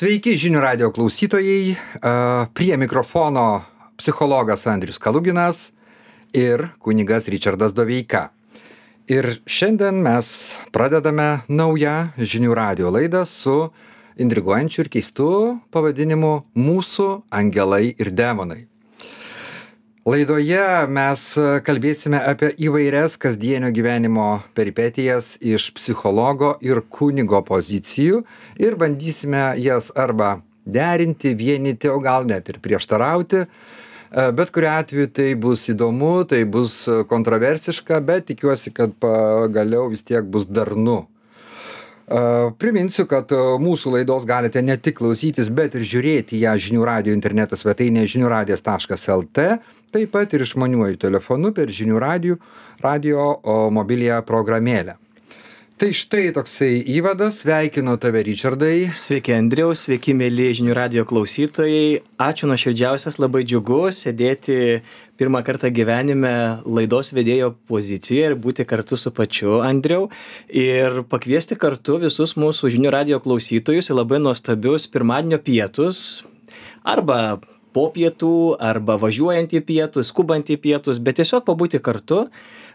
Sveiki žinių radio klausytojai, prie mikrofono psichologas Andrius Kaluginas ir kunigas Ričardas Doveika. Ir šiandien mes pradedame naują žinių radio laidą su intriguojančiu ir keistu pavadinimu Mūsų angelai ir demonai. Laidoje mes kalbėsime apie įvairias kasdienio gyvenimo peripetijas iš psichologo ir kunigo pozicijų ir bandysime jas arba derinti, vienyti, o gal net ir prieštarauti. Bet kuriuo atveju tai bus įdomu, tai bus kontroversiška, bet tikiuosi, kad pagaliau vis tiek bus darnu. Priminsiu, kad mūsų laidos galite ne tik klausytis, bet ir žiūrėti ją žinių radio interneto svetainėje žiniųradijas.lt, taip pat ir išmaniuoju telefonu per žinių radio mobiliąją programėlę. Tai štai toksai įvadas, sveikinu tave Ričardai. Sveiki Andriau, sveiki mėly žinių radio klausytojai. Ačiū nuoširdžiausias, labai džiugu sėdėti pirmą kartą gyvenime laidos vedėjo pozicijoje ir būti kartu su pačiu Andriau. Ir pakviesti kartu visus mūsų žinių radio klausytojus į labai nuostabius pirmadienio pietus. Arba po pietų, arba važiuojant į pietus, skubant į pietus, bet tiesiog pabūti kartu,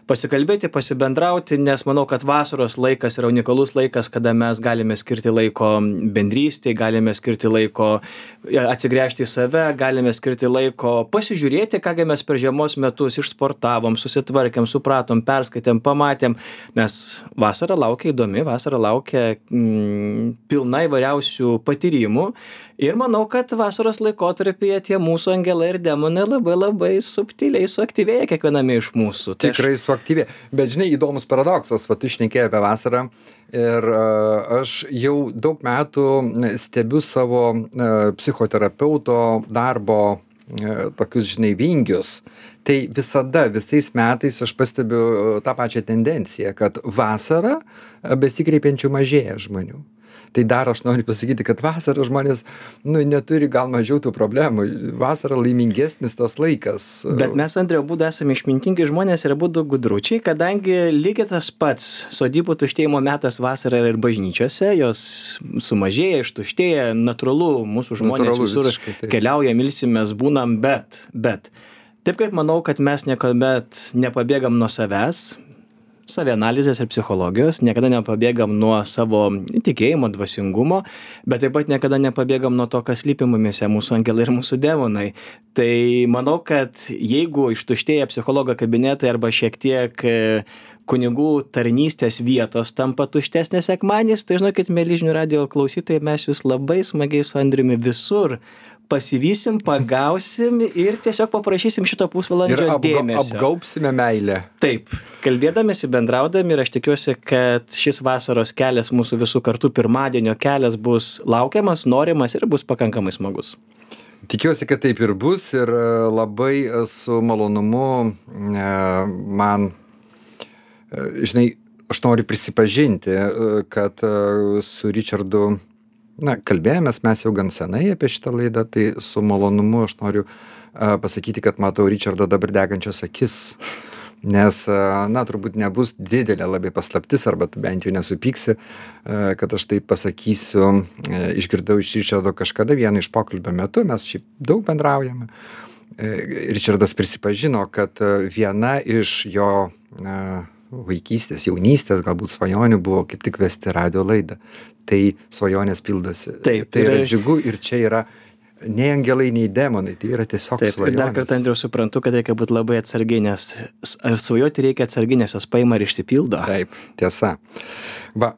pasikalbėti, pasibendrauti, nes manau, kad vasaros laikas yra unikalus laikas, kada mes galime skirti laiko bendrystei, galime skirti laiko atsigręžti į save, galime skirti laiko pasižiūrėti, kągi mes per žiemos metus išsportavom, susitvarkėm, supratom, perskaitėm, pamatėm, nes vasara laukia įdomi, vasara laukia pilna įvairiausių patyrimų. Ir manau, kad vasaros laikotarpyje tie mūsų angelai ir demonai labai subtiliai suaktyvėja kiekviename iš mūsų. Tikrai suaktyvėja. Bet žinai, įdomus paradoksas, tu šnekėjai apie vasarą ir aš jau daug metų stebiu savo psichoterapeuto darbo tokius, žinai, vingius. Tai visada, visais metais aš pastebiu tą pačią tendenciją, kad vasarą besikreipiančių mažėja žmonių. Tai dar aš noriu pasakyti, kad vasarą žmonės neturi gal mažiau tų problemų. Vasarą laimingesnis tas laikas. Bet mes, Andriau, abudu esame išmintingi žmonės ir abudu gudručiai, kadangi lygiai tas pats sodybų tuštėjimo metas vasarą ir bažnyčiose, jos sumažėja, ištuštėja, natūralu, mūsų žmonės visur keliauja, milsimės, būnam, bet. Taip kaip manau, kad mes niekuomet nepabėgam nuo savęs, savianalizės ir psichologijos, niekada nepabėgam nuo savo tikėjimo, dvasingumo, bet taip pat niekada nepabėgam nuo to, kas slypi mumyse, mūsų angelai ir mūsų demonai. Tai manau, kad jeigu ištuštėja psichologo kabinetai arba šiek tiek kunigų tarnystės vietos tampa tuštesnės sekmadieniais, tai žinokit, mėly žinių radio klausytojai, mes jūs labai smagiai su Andriumi visur pasivysim, pagausim ir tiesiog paprašysim šito pusvalandžio dėmesio. Ir apgaubsime meilę. Taip, kalbėdamėsi, bendraudami ir aš tikiuosi, kad šis vasaros kelias, mūsų visų kartu pirmadienio kelias bus laukiamas, norimas ir bus pakankamai smagus. Tikiuosi, kad taip ir bus ir labai su malonumu man, žinai, aš noriu prisipažinti, kad su Ričardu kalbėjomės mes jau gan senai apie šitą laidą, tai su malonumu aš noriu pasakyti, kad matau Ričardo dabar degančias akis, nes, turbūt nebus didelė labai paslaptis, arba tu bent jau nesupyksi, kad aš tai pasakysiu, išgirdau iš Ričardo kažkada vieną iš pokalbio metu, mes šiaip daug bendraujame. Ričardas prisipažino, kad viena iš jo vaikystės, jaunystės, galbūt svajonių buvo kaip tik vesti radio laidą. Tai svajonės pildosi. Taip, tai yra džiugu ir čia yra nei angelai, nei demonai, tai yra tiesiog svajonės. Ir dar kartą, Andriau, suprantu, kad reikia būti labai atsargiai, nes svajoti reikia atsargiai, nes jos paima ir išsipildo. Taip, tiesa.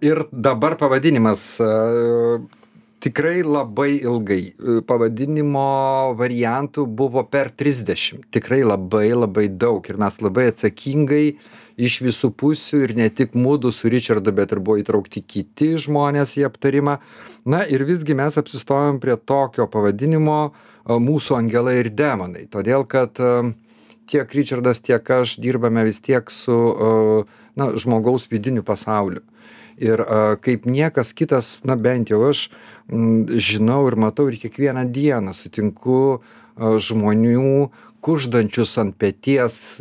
Ir dabar pavadinimas tikrai labai ilgai. Pavadinimo variantų buvo per 30. Tikrai labai daug ir mes labai atsakingai iš visų pusių ir ne tik mudu su Ričardu, bet ir buvo įtraukti kiti žmonės į aptarimą. Ir visgi mes apsistojom prie tokio pavadinimo Mūsų angelai ir demonai. Todėl, kad tiek Ričardas, tiek aš dirbame vis tiek su žmogaus vidiniu pasauliu. Ir kaip niekas kitas, bent jau aš žinau ir matau ir kiekvieną dieną sutinku žmonių, kuždančius ant peties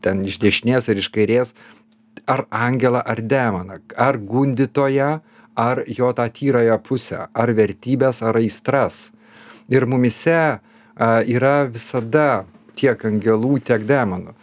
ten iš dešinės ar iš kairės ar angelą ar demoną, ar gundytoją, ar jo tą tyrąją pusę, ar vertybės, ar aistras. Ir mumise yra visada tiek angelų, tiek demonų.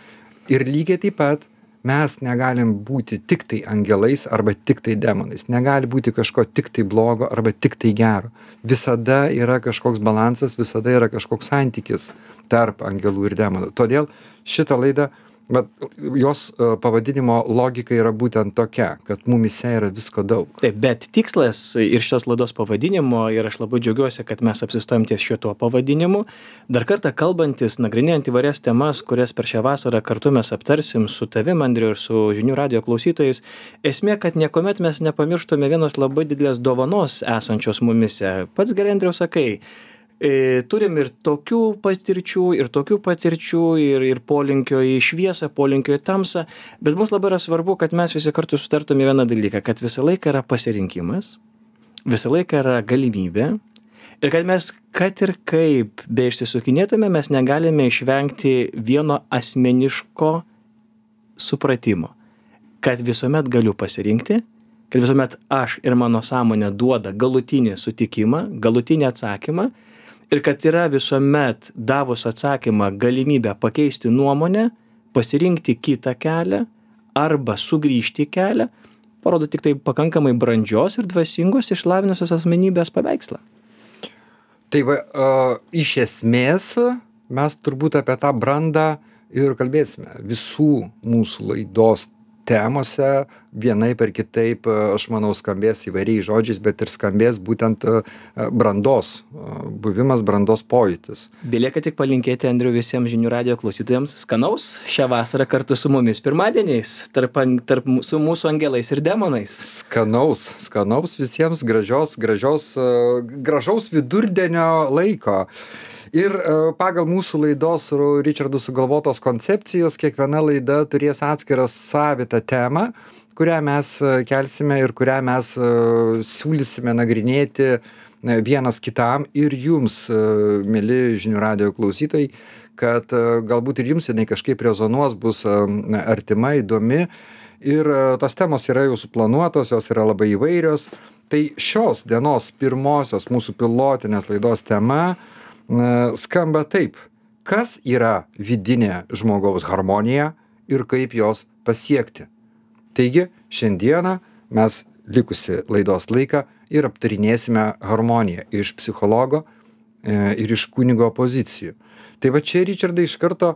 Ir lygiai taip pat mes negalim būti tik tai angelais arba tik tai demonais. Negali būti kažko tik tai blogo arba tik tai gero. Visada yra kažkoks balansas, visada yra kažkoks santykis tarp angelų ir demonų. Todėl šitą laidą, bet jos pavadinimo logika yra būtent tokia, kad mumise yra visko daug. Taip, bet tikslas ir šios laidos pavadinimo, ir aš labai džiaugiuosi, kad mes apsistojom ties šituo pavadinimu, dar kartą kalbantis, nagrinėjant įvairias temas, kurias per šią vasarą kartu mes aptarsim su tavim, Andriu, ir su žinių radijo klausytojais, esmė, kad niekuomet mes nepamirštume vienos labai didelės dovanos esančios mumise. Pats gerai, Andriau, sakai, turim ir tokių patirčių, ir polinkio į šviesą, polinkio į tamsą, bet mums labai yra svarbu, kad mes visi kartu sutartume vieną dalyką, kad visą laiką yra pasirinkimas, visą laiką yra galimybė ir kad mes, kad ir kaip be išsisukinėtume, mes negalime išvengti vieno asmeniško supratimo, kad visuomet galiu pasirinkti, kad visuomet aš ir mano sąmonė duoda galutinį sutikimą, galutinį atsakymą, ir kad yra visuomet davus atsakymą galimybę pakeisti nuomonę, pasirinkti kitą kelią arba sugrįžti į kelią, parodo tik tai pakankamai brandžios ir dvasingos išlavinusios asmenybės paveikslą. Tai va, iš esmės mes turbūt apie tą brandą ir kalbėsime visų mūsų laidos temose, vienaip ar kitaip, aš manau, skambės įvairiais žodžiais, bet ir skambės būtent brandos, buvimas brandos pojūtis. Belieka tik palinkėti, Andriu, visiems žinių radijo klausytojams skanaus šią vasarą kartu su mumis pirmadieniais, su mūsų angelais ir demonais. Skanaus visiems gražaus vidurdienio laiko. Ir pagal mūsų laidos su Richardu sugalvotos koncepcijos, kiekviena laida turės atskirą savitą temą, kurią mes kelsime ir kurią mes siūlysime nagrinėti vienas kitam ir jums, mieli žinių radijo klausytojai, kad galbūt ir jums jinai kažkaip rezonuos, bus artima, įdomi. Ir tos temos yra jau suplanuotos, jos yra labai įvairios. Tai šios dienos pirmosios mūsų pilotinės laidos tema skamba taip: kas yra vidinė žmogaus harmonija ir kaip jos pasiekti. Taigi, šiandieną mes likusi laidos laiką ir aptarinėsime harmoniją iš psichologo ir iš kunigo pozicijų. Tai va čia, Richardai, iš karto,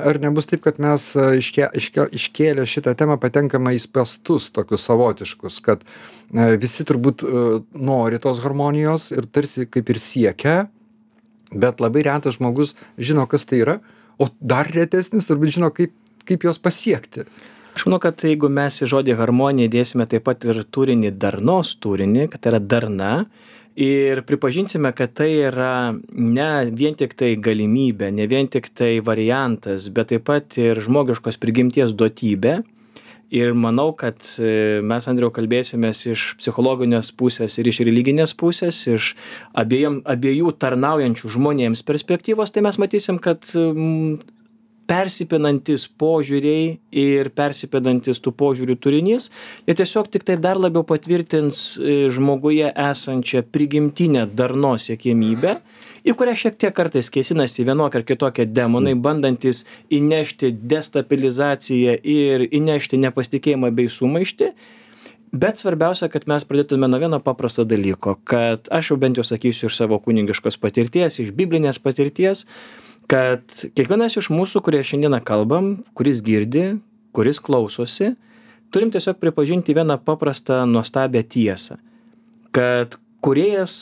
ar nebus taip, kad mes iškėlę šitą temą patenkame į spąstus tokius savotiškus, kad visi turbūt nori tos harmonijos ir tarsi kaip ir siekia, bet labai retas žmogus žino, kas tai yra, o dar retesnis turbūt žino, kaip jos pasiekti. Aš manau, kad jeigu mes į žodį harmonija dėsime taip pat ir turinį, darnos turinį, kad tai yra darna, ir pripažinsime, kad tai yra ne vien tik tai galimybė, ne vien tik tai variantas, bet taip pat ir žmogiškos prigimties duotybė. Ir manau, kad mes, Andriau, kalbėsimės iš psichologinės pusės ir iš religinės pusės, iš abiejų tarnaujančių žmonėms perspektyvos, tai mes matysim, kad persipinantis požiūriai ir persipinantis tų požiūrių turinys, jie tiesiog tik tai dar labiau patvirtins žmoguje esančią prigimtinę darnos siekimybę, į kurią šiek tiek kartais kėsinasi vienokia ar kitokia demonai, bandantis įnešti destabilizaciją ir įnešti nepasitikėjimą bei sumaištį. Bet svarbiausia, kad mes pradėtume nuo vieno paprasto dalyko, kad aš jau bent jau sakysiu iš savo kunigiškos patirties, iš biblinės patirties, kad kiekvienas iš mūsų, kurie šiandieną kalbam, kuris girdi, kuris klausosi, turim tiesiog pripažinti vieną paprastą nuostabią tiesą, kad Kūrėjas,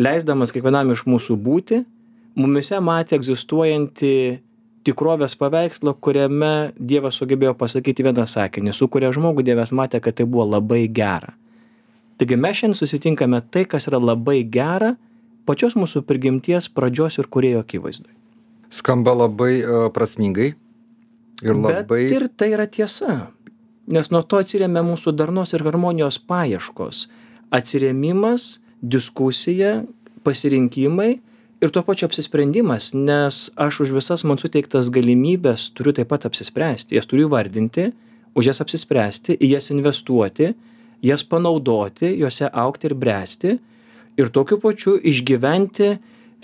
leisdamas kiekvienam iš mūsų būti, mumise matė egzistuojantį tikrovės paveikslą, kuriame Dievas sugebėjo pasakyti vieną sakinį, su kuria žmogų Dievas matė, kad tai buvo labai gera. Taigi mes šiandien susitinkame tai, kas yra labai gera, pačios mūsų prigimties pradžios ir Kūrėjo akivaizdoj. Skamba labai prasmingai ir labai... Bet ir tai yra tiesa, nes nuo to atsiremia mūsų darnos ir harmonijos paieškos, atsiremimas, diskusija, pasirinkimai ir tuo pačiu apsisprendimas, nes aš už visas man suteiktas galimybės turiu taip pat apsispręsti, jas turiu vardinti, už jas apsispręsti, į jas investuoti, jas panaudoti, juose augti ir bręsti ir tokiu pačiu išgyventi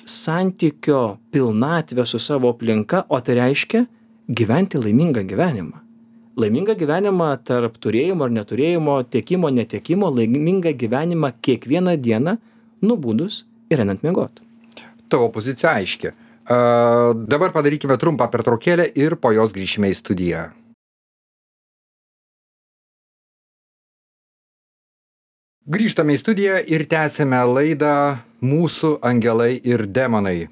santykio pilnatvę su savo aplinka, o tai reiškia gyventi laimingą gyvenimą. Laimingą gyvenimą tarp turėjimo ar neturėjimo, tiekimo, netekimo, laimingą gyvenimą kiekvieną dieną nubudus ir einant miegoti. Tavo pozicija aiški. Dabar padarykime trumpą pertraukėlę ir po jos grįšime į studiją. Grįžtame į studiją ir tęsime laidą Mūsų angelai ir demonai.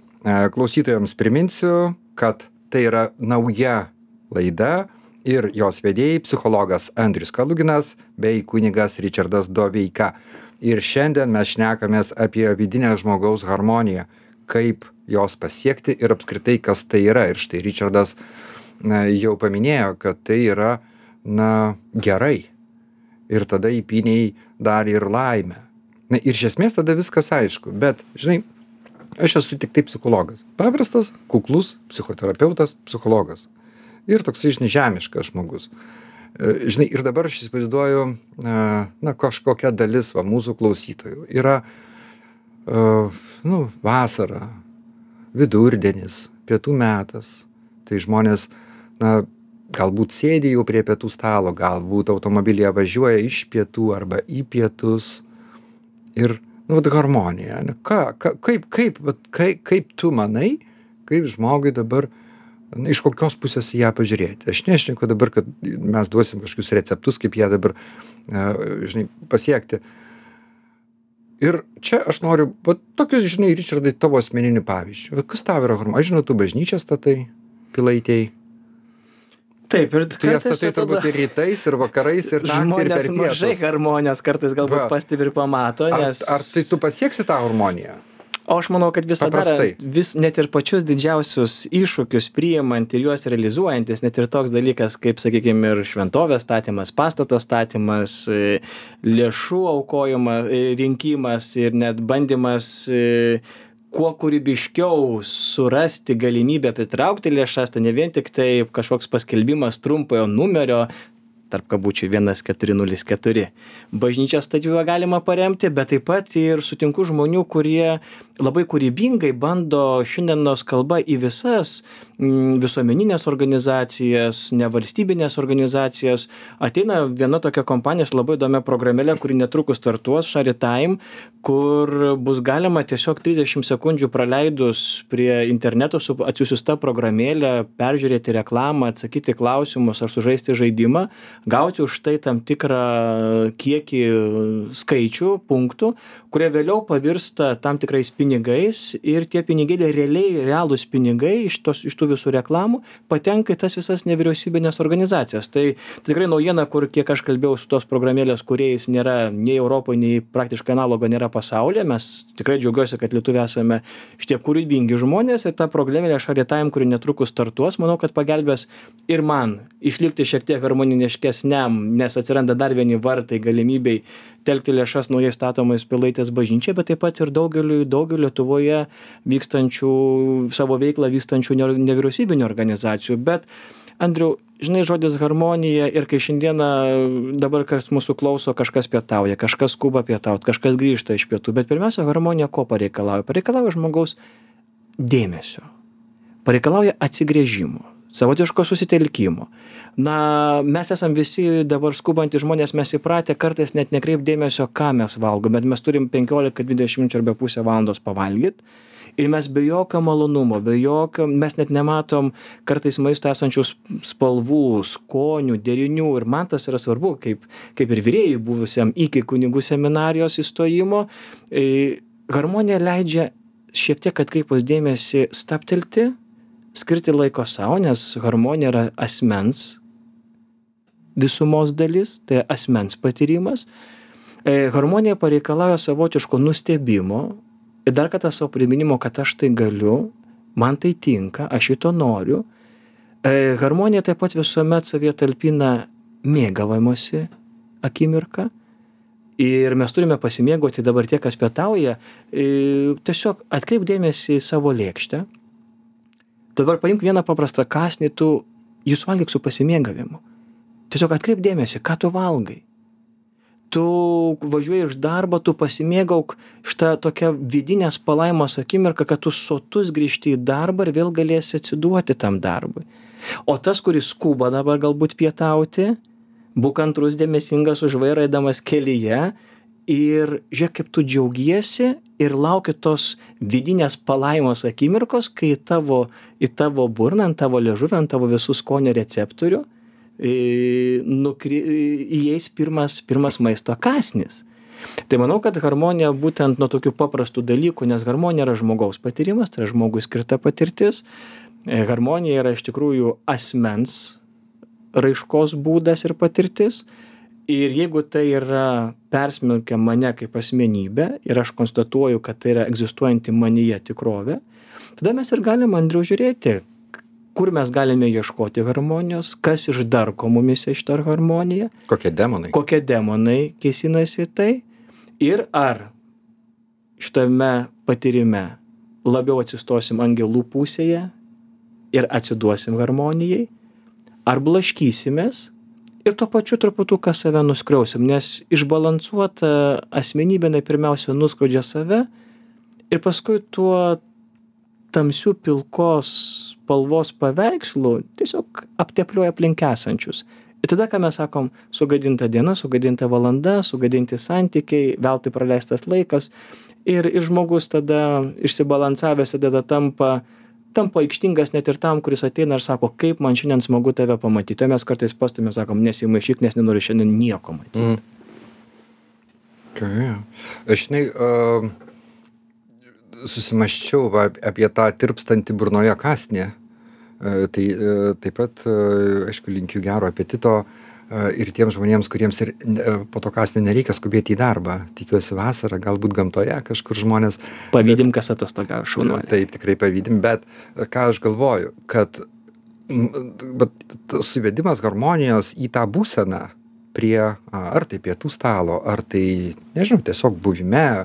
Klausytojams priminsiu, kad tai yra nauja laida ir jos vedėjai psichologas Andrius Kaluginas bei kunigas Ričardas Doveika. Ir šiandien mes šnekamės apie vidinę žmogaus harmoniją, kaip jos pasiekti ir apskritai kas tai yra. Ir štai Ričardas jau paminėjo, kad tai yra gerai. Ir tada įpyniai dar ir laimę. Ir iš esmės tada viskas aišku, bet, žinai, aš esu tik tai psichologas. Paprastas, kuklus psichoterapeutas, psichologas. Ir toksai, žinai, žemiškas žmogus. Žinai, ir dabar aš įsivaizduoju, kažkokia dalis mūsų klausytojų. Yra, vasara, vidurdienis, pietų metas. Tai žmonės, galbūt sėdi jau prie pietų stalo, galbūt automobilyje važiuoja iš pietų arba į pietus. Ir, harmonija. Kaip tu manai, kaip žmogui dabar, iš kokios pusės ją pažiūrėti? Aš nešneku dabar, kad mes duosim kažkokius receptus, kaip ją dabar, pasiekti. Ir čia aš noriu, tokius, žinai, Ričardai, tavo asmeninių pavyzdžių. Kas tau yra harmonija? Aš žinau, tu bažnyčią statai, Pilaitėj. Taip, ir tu jas statai turbūt ir rytais, ir vakarais, ir naktį, ir per pietus. Žmonės mažai harmonijos kartais galbūt pastebi ir pamato, nes... Ar tai tu pasieksi tą harmoniją? O aš manau, kad visada net ir pačius didžiausius iššūkius priimant ir juos realizuojantis, net ir toks dalykas, kaip, sakykime, ir šventovės statymas, pastato statymas, lėšų aukojimas, rinkimas ir net bandymas kuo kūrybiškiau surasti galimybę pritraukti lėšas, tai ne vien tik tai kažkoks paskelbimas trumpojo numerio, tarp kabučių 1404. Bažnyčios statybą galima paremti, bet taip pat ir sutinku žmonių, kurie labai kūrybingai bando šiandienos kalba į visas visuomeninės organizacijas, nevalstybinės organizacijas. Ateina viena tokia kompanija su labai įdomia programėlė, kuri netrukus startuos, Sharitime, kur bus galima tiesiog 30 sekundžių praleidus prie interneto su atsiųsta programėlė, peržiūrėti reklamą, atsakyti klausimus ar sužaisti žaidimą, gauti už tai tam tikrą kiekį skaičių, punktų, kurie vėliau pavirsta tam tikrais pinigais ir tie pinigėliai realūs pinigai iš tų visų reklamų patenka į tas visas nevyriausybinės organizacijas. Tai tikrai naujiena, kur kiek aš kalbėjau su tos programėlės kūrėjais, nėra nei Europoje, nei praktiškai analogo nėra pasaulyje. Mes tikrai džiaugiuosi, kad lietuviai esame šitie kūrybingi žmonės ir ta programėlė Sharitime, kuri netrukus startuos, manau, kad pagelbės ir man išlikti šiek tiek harmoniškesniam, nes atsiranda dar vieni vartai galimybei telkti lėšas naujai statomais Pilaitės bažnyčiai, bet taip pat ir daugeliu Lietuvoje vykstančių, savo veiklą vykstančių nevyriausybinių organizacijų. Bet, Andriau, žinai, žodis harmonija ir kai šiandieną dabar kas mūsų klauso, kažkas pietauja, kažkas skuba pietauti, kažkas grįžta iš pietų, bet pirmiausia, harmonija ko pareikalauja? Pareikalauja žmogaus dėmesio, pareikalauja atsigręžimo, savotiško susitelkimo. Mes esam visi dabar skubantys žmonės, mes įpratę kartais net nekreip dėmesio, ką mes valgom, bet mes turim 15-20 arba pusę valandos pavalgyti ir mes be jokio malonumo, mes net nematom kartais maisto esančių spalvų, skonių, derinių ir man tas yra svarbu, kaip ir vyrėjui buvusiam iki kunigų seminarijos įstojimo. Harmonija leidžia šiek tiek atkreipus dėmesį stabtelti, skirti laiko savo, nes harmonija yra asmens visumos dalis, tai asmens patyrimas. Harmonija pareikalauja savotiško nustebimo ir dar kartą savo priminimo, kad aš tai galiu, man tai tinka, aš šito noriu. Harmonija taip pat visuomet savyje talpina mėgavimosi akimirką ir mes turime pasimėgauti dabar tie, kas pietauja, tiesiog atkreip dėmesį į savo lėkštę. Dabar paimk vieną paprastą kąsnį, jūs valgyk su pasimėgavimu. Tiesiog atkreip dėmesį, ką tu valgai. tu važiuoji iš darbo, tu pasimėgauk šitą tokią vidinės palaimos akimirką, kad tu sotus grįžti į darbą ir vėl galėsi atsiduoti tam darbui. O tas, kuris skuba dabar galbūt pietauti, būk kantrus, dėmesingas už vairą eidamas kelyje ir žiūrėk, kaip tu džiaugiesi ir lauki tos vidinės palaimos akimirkos, kai į tavo burną, ant tavo liežuvį, ant tavo visų skonio receptorių įeis pirmas maisto kąsnis. Tai manau, kad harmonija būtent nuo tokių paprastų dalykų, nes harmonija yra žmogaus patyrimas, tai yra žmogui skirta patirtis. Harmonija yra iš tikrųjų asmens raiškos būdas ir patirtis. Ir jeigu tai yra persmelkia mane kaip asmenybę ir aš konstatuoju, kad tai yra egzistuojanti manyje tikrovė, tada mes ir galime, Andriau, žiūrėti, kur mes galime ieškoti harmonijos, kas išdarko mumise šitą harmoniją. Kokie demonai kėsinasi tai. Ir ar šitame patyrime labiau atsistosim angelų pusėje ir atsiduosim harmonijai, ar blaškysimės ir tuo pačiu truputuką save nuskriausim, nes išbalansuota asmenybė pirmiausia nuskrodžia save ir paskui tuo tamsių pilkos spalvos paveikslų tiesiog aptepliuoja aplink esančius. Ir tada, ką mes sakom, sugadinta diena, sugadinta valanda, sugadinti santykiai, veltui praleistas laikas ir žmogus tada išsibalansavęs tada tampa aikštingas net ir tam, kuris ateina ir sako, kaip man šiandien smagu tave pamatyti. O mes kartais pastumėm, sakom, nesimaišyk, nes nenoriu šiandien nieko matyti. Aš susimaščiau apie tą tirpstantį burnoje kąsnį. Tai taip pat, aišku, linkiu gero apetito ir tiems žmonėms, kuriems ir po to kąsnį nereikia skubėti į darbą. Tikiuosi vasarą, galbūt gamtoje kažkur žmonės. Pavydim, kas atostogauja, šaunuoliai. Taip, tikrai pavydim, bet ką aš galvoju, kad suvedimas harmonijos į tą būseną prie ar tai pietų stalo, ar tai, nežinau, tiesiog buvime,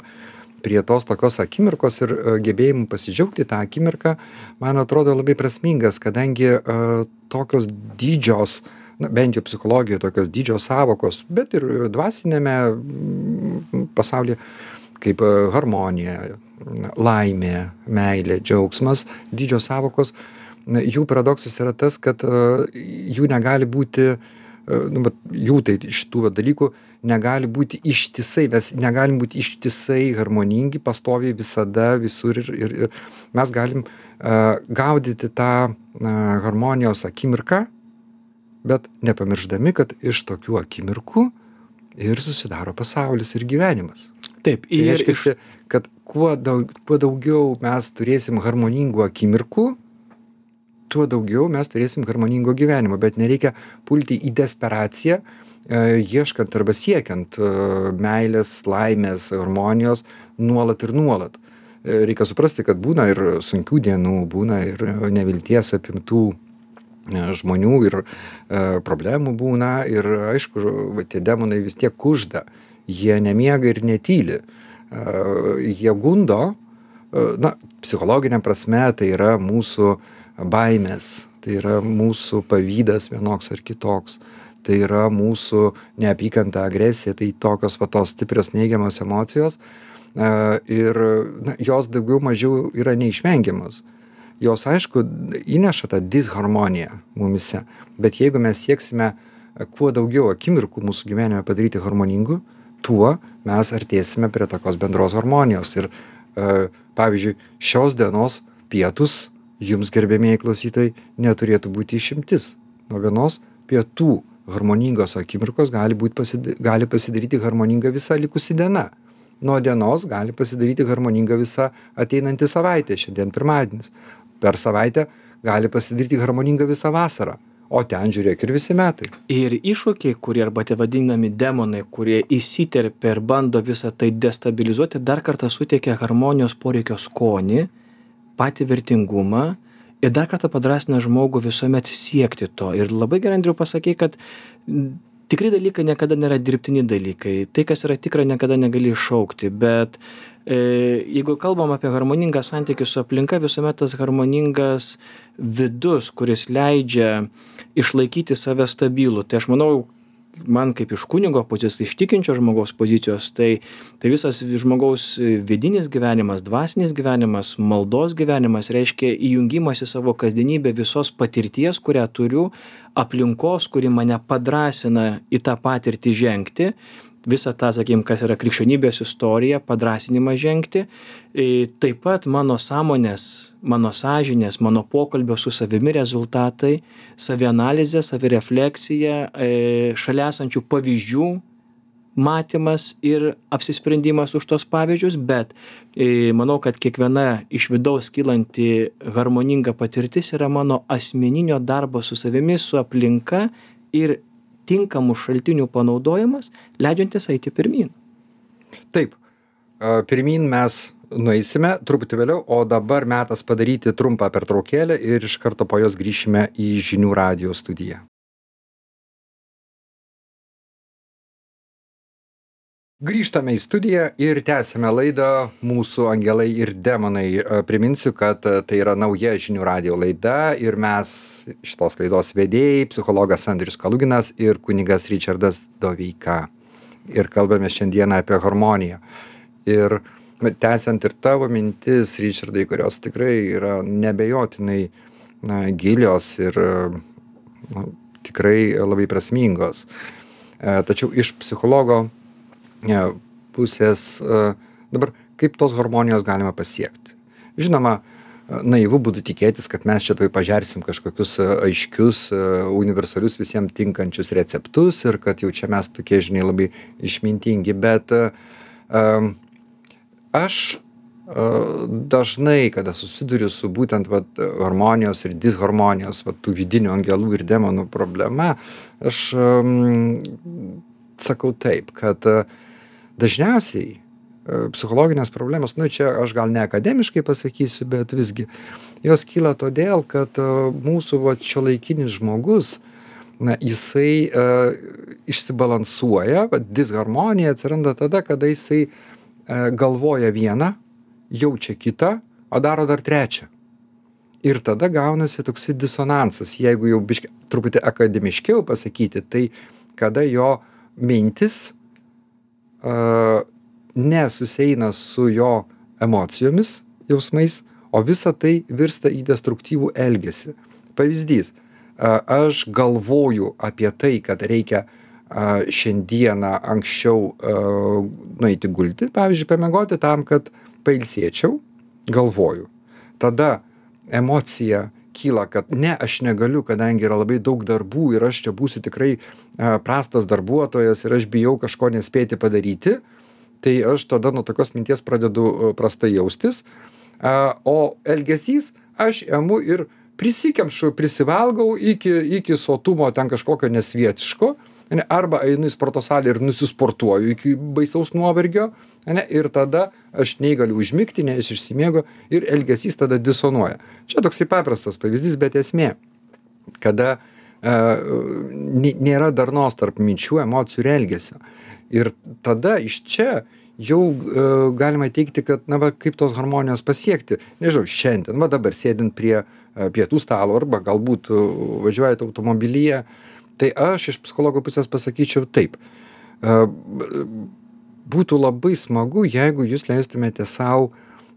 prie tos tokios akimirkos ir gebėjimų pasidžiaugti tą akimirką, man atrodo labai prasmingas, kadangi tokios didžios, bent jau psichologijoje tokios didžios sąvokos, bet ir dvasinėme pasaulyje, kaip harmonija, laimė, meilė, džiaugsmas, didžios sąvokos, jų paradoksas yra tas, kad jų negali būti, jų tai šitų dalykų negali būti ištisai, mes negalim būti ištisai harmoningi, pastoviai visada, visur ir mes galim gaudyti tą harmonijos akimirką, bet nepamirždami, kad iš tokių akimirkų ir susidaro pasaulis ir gyvenimas. Taip, tai reiškia, kad kuo daugiau mes turėsim harmoningų akimirkų, tuo daugiau mes turėsim harmoningo gyvenimo, bet nereikia pulti į desperaciją, ieškant arba siekiant meilės, laimės, harmonijos nuolat ir nuolat. Reikia suprasti, kad būna ir sunkių dienų, būna ir nevilties apimtų žmonių ir problemų būna ir aišku, tie demonai vis tiek kužda, jie nemiega ir netyli, jie gundo, psichologinė prasme tai yra mūsų baimės, tai yra mūsų pavydas vienoks ar kitoks, tai yra mūsų neapykanta, agresija, tai tokios tos stiprios neigiamos emocijos ir jos daugiau mažiau yra neišvengiamos. Jos, aišku, įneša tą disharmoniją mumise, bet jeigu mes sieksime kuo daugiau akimirkų mūsų gyvenime padaryti harmoningų, tuo mes artėsime prie tokios bendros harmonijos. Ir pavyzdžiui, šios dienos pietus, jums gerbėmieji klausytojai, neturėtų būti išimtis. Nuo vienos pietų harmoningos akimirkos gali pasidaryti harmoninga visa likusi diena. Nuo dienos gali pasidaryti harmoninga visa ateinanti savaitė, šiandien pirmadienis. Per savaitę gali pasidaryti harmoninga visa vasara, o ten žiūrėk ir visi metai. Ir iššūkiai, kurie arba tie vadinami demonai, kurie įsiterpia ir bando visą tai destabilizuoti, dar kartą suteikia harmonijos poreikio skonį, patį vertingumą, ir dar kartą padrasina žmogų visuomet siekti to. Ir labai gerai, Andriau, pasakei, kad tikri dalykai niekada nėra dirbtini dalykai. Tai, kas yra tikra, niekada negali iššaukti. Bet jeigu kalbam apie harmoningą santykį su aplinka, visuomet tas harmoningas vidus, kuris leidžia išlaikyti save stabilų. Tai aš manau, man kaip iš kunigo pozicijos, iš tikinčio žmogaus pozicijos, tai visas žmogaus vidinis gyvenimas, dvasinis gyvenimas, maldos gyvenimas reiškia įjungimas į savo kasdienybę visos patirties, kurią turiu, aplinkos, kuri mane padrasina į tą patirtį žengti, visą tą, sakykim, kas yra krikščionybės istorija, padrasinimą žengti. Taip pat mano sąmonės, mano sąžinės, mano pokalbio su savimi rezultatai, savianalizė, savirefleksija, šalia esančių pavyzdžių matymas ir apsisprendimas už tos pavyzdžius, bet manau, kad kiekviena iš vidaus kylanti harmoninga patirtis yra mano asmeninio darbo su savimi, su aplinka ir tinkamų šaltinių panaudojimas, leidžiantis eiti pirmyn. Taip, pirmyn mes nueisime truputį vėliau, o dabar metas padaryti trumpą pertraukėlę ir iš karto po jos grįšime į žinių radijo studiją. Grįžtame į studiją ir tęsime laidą Mūsų angelai ir demonai. Priminsiu, kad tai yra nauja žinių radijo laida ir mes šitos laidos vedėjai, psichologas Andrius Kaluginas ir kunigas Ričardas Doveika. Ir kalbame šiandieną apie harmoniją. Ir tęsiant ir tavo mintis, Ričardai, kurios tikrai yra nebejotinai gilios ir tikrai labai prasmingos. Tačiau iš psichologo pusės, dabar kaip tos harmonijos galima pasiekti. Žinoma, naivu būtų tikėtis, kad mes čia tuoj pažersim kažkokius aiškius, universalius visiems tinkančius receptus ir kad jau čia mes tokie, žinai, labai išmintingi, bet aš dažnai, kada susiduriu su būtent harmonijos ir disharmonijos, tų vidinių angelų ir demonų problema, aš sakau taip, kad dažniausiai psichologinės problemos, čia aš gal ne akademiškai pasakysiu, bet visgi jos kyla todėl, kad mūsų šiuolaikinis žmogus, jisai išsibalansuoja, disharmonija atsiranda tada, kada jisai galvoja vieną, jaučia kitą, o daro dar trečią. Ir tada gaunasi toksai disonansas, jeigu jau truputį akademiškiau pasakyti, tai kada jo mintis nesusieina su jo emocijomis, jausmais, o visa tai virsta į destruktyvų elgesį. Pavyzdys, aš galvoju apie tai, kad reikia šiandieną anksčiau nueiti gulti, pavyzdžiui, pamiegoti tam, kad pailsėčiau, galvoju. Tada emocija kyla, kad ne, aš negaliu, kadangi yra labai daug darbų ir aš čia būsiu tikrai prastas darbuotojas ir aš bijau kažko nespėti padaryti, tai aš tada nuo tokios minties pradedu prastai jaustis, o elgesys aš emu ir prisikemšu, prisivalgau iki sotumo ten kažkokio nesvietiško, arba einu į sporto salę ir nusisportuoju iki baisaus nuovargio, ir tada aš nei galiu užmigti, nei aš išsimiegu ir elgesys tada disonuoja. Čia toksai paprastas pavyzdys, bet esmė, kada nėra darnos tarp minčių, emocijų ir elgesio. Ir tada iš čia jau galima teikti, kad, kaip tos harmonijos pasiekti. Nežinau, šiandien, dabar sėdint prie pietų stalo arba galbūt važiuojate automobilyje, tai aš iš psichologo pusės pasakyčiau taip. Būtų labai smagu, jeigu jūs leistumėte savo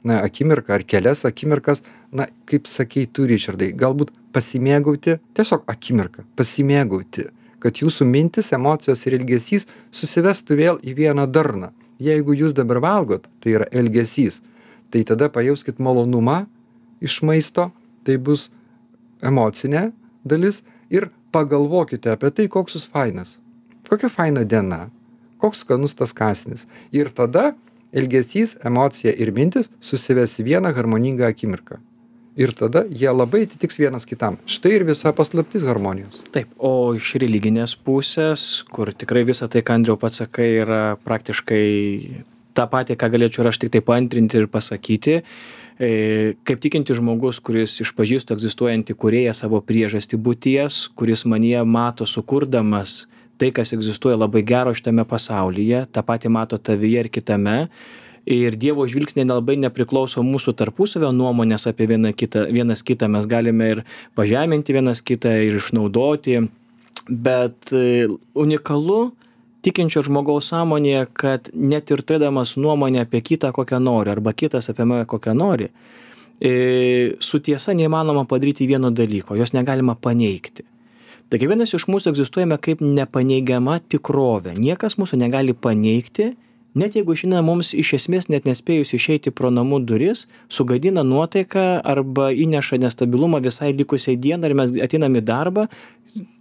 akimirką ar kelias akimirkas, kaip sakei tu, Ričardai, galbūt pasimėgauti, tiesiog akimirką, pasimėgauti, kad jūsų mintis, emocijos ir elgesys susivestų vėl į vieną darną. Jeigu jūs dabar valgot, tai yra elgesys, tai tada pajauskit malonumą iš maisto, tai bus emocinė dalis ir pagalvokite apie tai, koks jūs fainas, kokia faina diena, koks skanus tas kąsnis. Ir tada elgesys, emocija ir mintis susives į vieną harmoningą akimirką. Ir tada jie labai atitiks vienas kitam. Štai ir visa paslaptis harmonijos. Taip, o iš religinės pusės, kur tikrai visą tai, ką Andriau pats sakai, yra praktiškai tą patį, ką galėčiau ir aš tik tai paantrinti ir pasakyti. Kaip tikinti žmogus, kuris išpažįstų egzistuojantį kūrėją savo priežastį būties, kuris manyje mato sukurdamas tai, kas egzistuoja labai gero šitame pasaulyje, tą patį mato tavyje ir kitame. Ir Dievo žvilgsniai nelabai nepriklauso mūsų tarpusavio nuomonės apie vienas kitą. Mes galime ir pažeminti vienas kitą ir išnaudoti, Bet unikalu tikinčio žmogaus sąmonėje, kad net ir turėdamas nuomonę apie kitą kokią nori, arba kitas apie mane kokią nori, su tiesa neįmanoma padaryti vieno dalyko, jos negalima paneigti. Tai kiekvienas iš mūsų egzistuojame kaip nepaneigiama tikrovė. Niekas mūsų negali paneigti, net jeigu šiandien mums iš esmės net nespėjus išeiti pro namų duris, sugadina nuotaiką arba įneša nestabilumą visai likusiai dienai ir mes ateinam į darbą,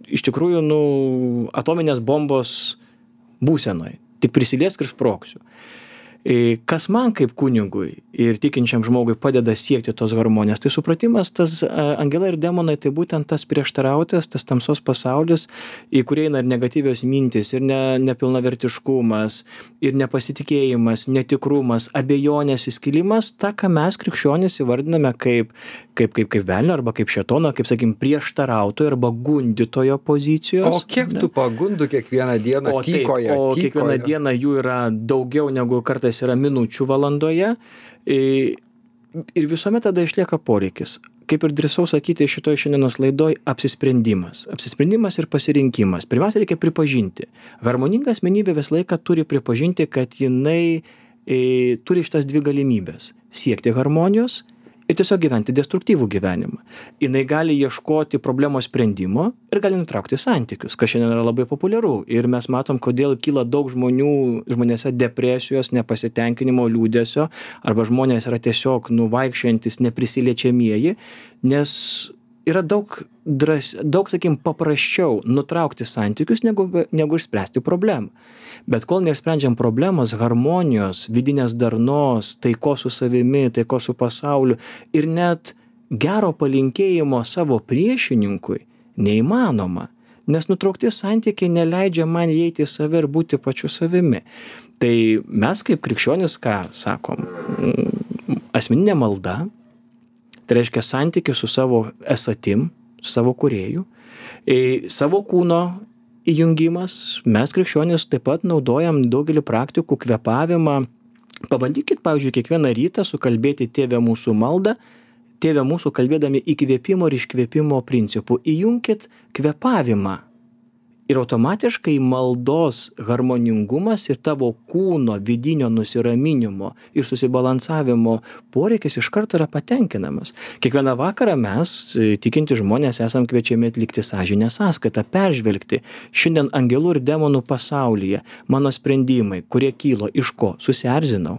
iš tikrųjų, atominės bombos būsenoj. Tik prisiliesk ir sprogsiu. Kas man kaip kunigui ir tikinčiam žmogui padeda siekti tos harmonijos, tai supratimas, tas angelai ir demonai, tai būtent tas prieštarautas, tas tamsos pasaulis, į kurį eina ir negatyvios mintys, ir nepilnavertiškumas, ir nepasitikėjimas, netikrumas, abejonės įskilimas, tą, ką mes krikščionys įvardiname kaip velnio arba kaip šėtono, kaip, sakykim, prieštarautojo arba gundytojo pozicijos. O kiek tų pagundų kiekvieną dieną tykoja? O kiekvieną dieną jų yra daugiau negu kartais yra minučių valandoje. Ir visuomet tada išlieka poreikis. Kaip ir drįsau sakyti šitoj šiandienos laidoj, apsisprendimas. Apsisprendimas ir pasirinkimas. Pirmiausia, reikia pripažinti. Harmoninga asmenybė visą laiką turi pripažinti, kad jinai turi šitas dvi galimybės. Siekti harmonijos ir tiesiog gyventi destruktyvų gyvenimą. Jinai gali ieškoti problemos sprendimo ir gali nutraukti santykius, kas šiandien yra labai populiaru. Ir mes matom, kodėl kyla daug žmonėse depresijos, nepasitenkinimo, liūdesio, arba žmonės yra tiesiog vaikščiojantis neprisiliečiamieji, nes yra daug, sakykim, paprasčiau nutraukti santykius, negu išspręsti problemą. Bet kol neišsprendžiam problemos, harmonijos, vidinės darnos, taikos su savimi, taikos su pasauliu ir net gero palinkėjimo savo priešininkui neįmanoma, nes nutraukti santykiai neleidžia man įeiti į save ir būti pačiu savimi. Tai mes kaip krikščionys, ką sakom, asmeninė malda, tai reiškia santykį su savo esatim, su savo kūrėju, savo kūno įjungimas. Mes krikščionys taip pat naudojam daugelį praktikų, kvėpavimą. Pabandykit, pavyzdžiui, kiekvieną rytą sukalbėti Tėve mūsų maldą, Tėve mūsų kalbėdami įkvėpimo ir iškvėpimo principų. Įjunkit kvėpavimą. Ir automatiškai maldos harmoningumas ir tavo kūno vidinio nusiraminimo ir susibalansavimo poreikis iš karto yra patenkinamas. Kiekvieną vakarą mes, tikinti žmonės, esam kviečiami atlikti sąžinės sąskaitą, peržvelgti šiandien angelų ir demonų pasaulyje mano sprendimai, kurie kylo iš ko? Susierzinau.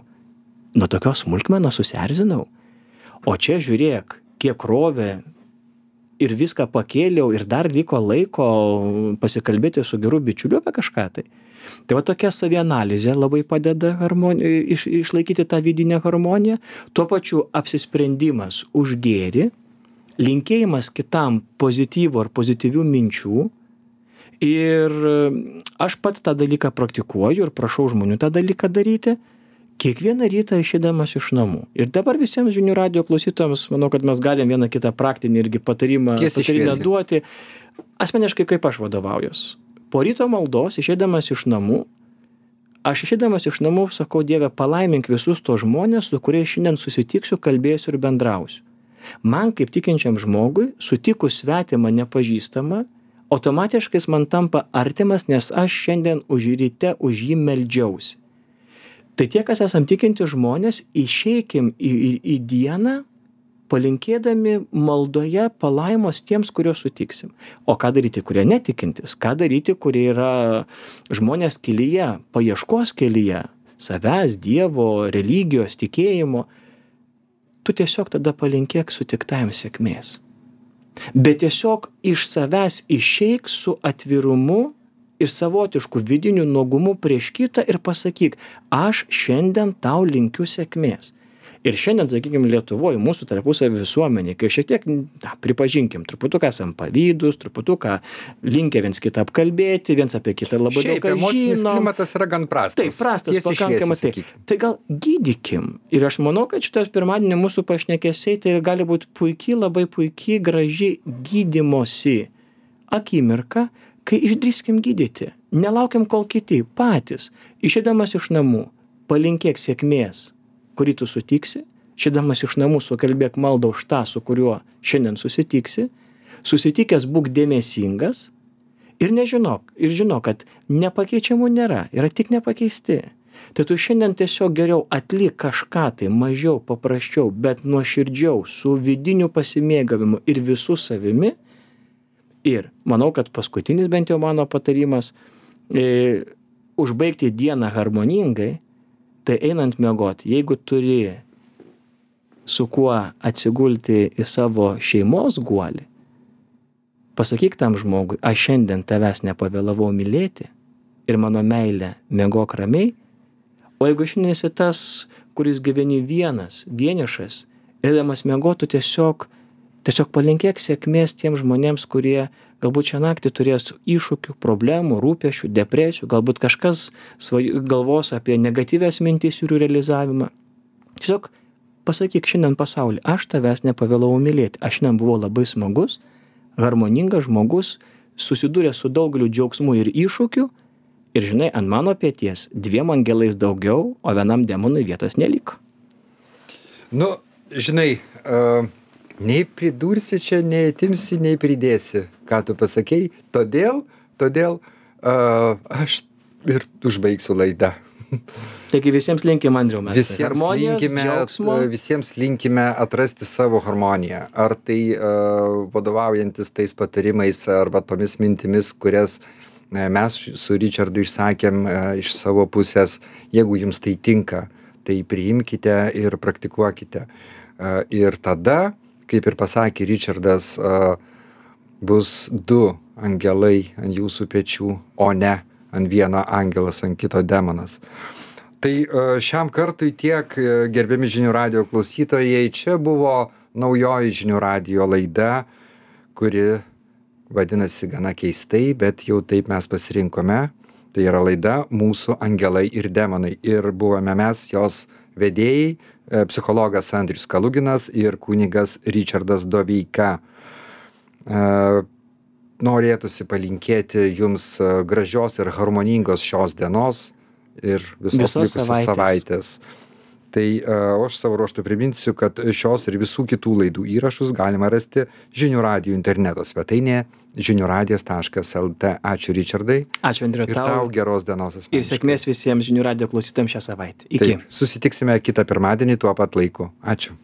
Nuo tokios smulkmenos susierzinau. O čia žiūrėk, kiek rovė ir viską pakėliau ir dar liko laiko pasikalbėti su geru bičiuliu apie kažką tai. Tai va tokia savianalizė labai padeda išlaikyti tą vidinę harmoniją, tuo pačiu apsisprendimas už gėrį, linkėjimas kitam pozityvų ar pozityvių minčių. Ir aš pats tą dalyką praktikuoju ir prašau žmonių tą dalyką daryti. Kiekvieną rytą išeidamas iš namų. Ir dabar visiems žinių radijo klausytojams, manau, kad mes galim vieną kitą praktinį irgi patarimą duoti. Asmeniškai kaip aš vadovaujuos. Po ryto maldos, išeidamas iš namų, sakau, Dieve, palaimink visus tos žmonės, su kuriais šiandien susitiksiu, kalbėsiu ir bendrausiu. Man kaip tikinčiam žmogui, sutikus svetimą nepažįstamą, automatiškai man tampa artimas, nes aš šiandien ryte už jį meldžiausi. Tai tie, kas esam tikinti žmonės, išeikim į dieną, palinkėdami maldoje palaimos tiems, kuriuos sutiksim. O ką daryti, kurie netikintis? Ką daryti, kurie yra žmonės kelyje, paieškos kelyje, savęs, Dievo, religijos, tikėjimo? Tu tiesiog tada palinkėk sutiktajam sėkmės. Bet tiesiog iš savęs išeik su atvirumu ir savotišku vidiniu nuogumu prieš kitą ir pasakyk, aš šiandien tau linkiu sėkmės. Ir šiandien, sakykime, Lietuvoje, mūsų tarpusavio visuomenė, kai šiek tiek, pripažinkim, truputuką esam pavydūs, truputuką linkę viens kitą apkalbėti, viens apie kitą labai daug ką žinom. Emocinis klimatas yra gan prastas. Taip, prastas, pakankamai. Tai gal gydykim. Ir aš manau, kad šitas pirmadienį mūsų pašnekesiai tai gali būti puikiai, labai puikiai, graži gydymosi akimirka, kai išdrįskim gydyti. Nelaukiam, kol kiti patys. Išeidamas iš namų, palinkėk sėkmės, kurį tu sutiksi, išeidamas iš namų sukalbėk maldą už tą, su kuriuo šiandien susitiksi, susitikęs būk dėmesingas Ir žinok, kad nepakeičiamų nėra, yra tik nepakeisti. Tai tu šiandien tiesiog geriau atlik kažką tai mažiau, paprasčiau, bet nuoširdžiau, su vidiniu pasimėgavimu ir visų savimi. Ir manau, kad paskutinis bent jau mano patarimas, užbaigti dieną harmoningai, tai einant miegoti, jeigu turi su kuo atsigulti į savo šeimos guolį, pasakyk tam žmogui, aš šiandien tavęs nepavėlavau mylėti ir mano meilė miegok ramiai, o jeigu šiandien esi tas, kuris gyveni vienišas, eidamas miegotų tiesiog palinkėk sėkmės tiems žmonėms, kurie galbūt šią naktį turės iššūkių, problemų, rūpesčių, depresijų, galbūt kažkas galvos apie negatyvias mintis ir jų realizavimą. Tiesiog pasakyk šiandien pasauliui, aš tavęs nepavėlavau mylėti, aš šiandien buvau labai smagus, harmoningas žmogus, susidūrė su daugeliu džiaugsmų ir iššūkių ir žinai, ant mano peties 2 angelais daugiau, o vienam demonui vietos neliko. Nu, žinai, nei pridursi čia, nei atimsi, nei pridėsi, ką tu pasakei. Todėl aš ir užbaigsiu laidą. Taigi visiems linkim, Andriau, mes harmonijos, džiaugsmo. Visiems linkime atrasti savo harmoniją. Ar tai vadovaujantis tais patarimais arba tomis mintimis, kurias mes su Richardu išsakėm iš savo pusės. Jeigu jums tai tinka, tai priimkite ir praktikuokite. Ir tada, kaip ir pasakė Richardas, bus 2 angelai ant jūsų pečių, o ne ant vieno angelas, ant kito demonas. Tai šiam kartui tiek, gerbiami Žinių radijo klausytojai, čia buvo naujoji Žinių radijo laida, kuri vadinasi gana keistai, bet jau taip mes pasirinkome. Tai yra laida Mūsų angelai ir demonai. Ir buvome mes, jos vedėjai, psichologas Andrius Kaluginas ir kunigas Richardas Doveika. Norėtųsi palinkėti jums gražios ir harmoningos šios dienos ir visos likusios savaitės. Tai aš savo ruožtu priminsiu, kad šios ir visų kitų laidų įrašus galima rasti Žinių radijo interneto svetainėje žiniuradijas.lt. Ačiū, Richardai. Ačiū, Andriu, ir tau geros dienos asmeniškai. Ir sėkmės visiems Žinių radijo klausytojams šią savaitę. Iki. Taip, susitiksime kitą pirmadienį tuo pat laiku. Ačiū.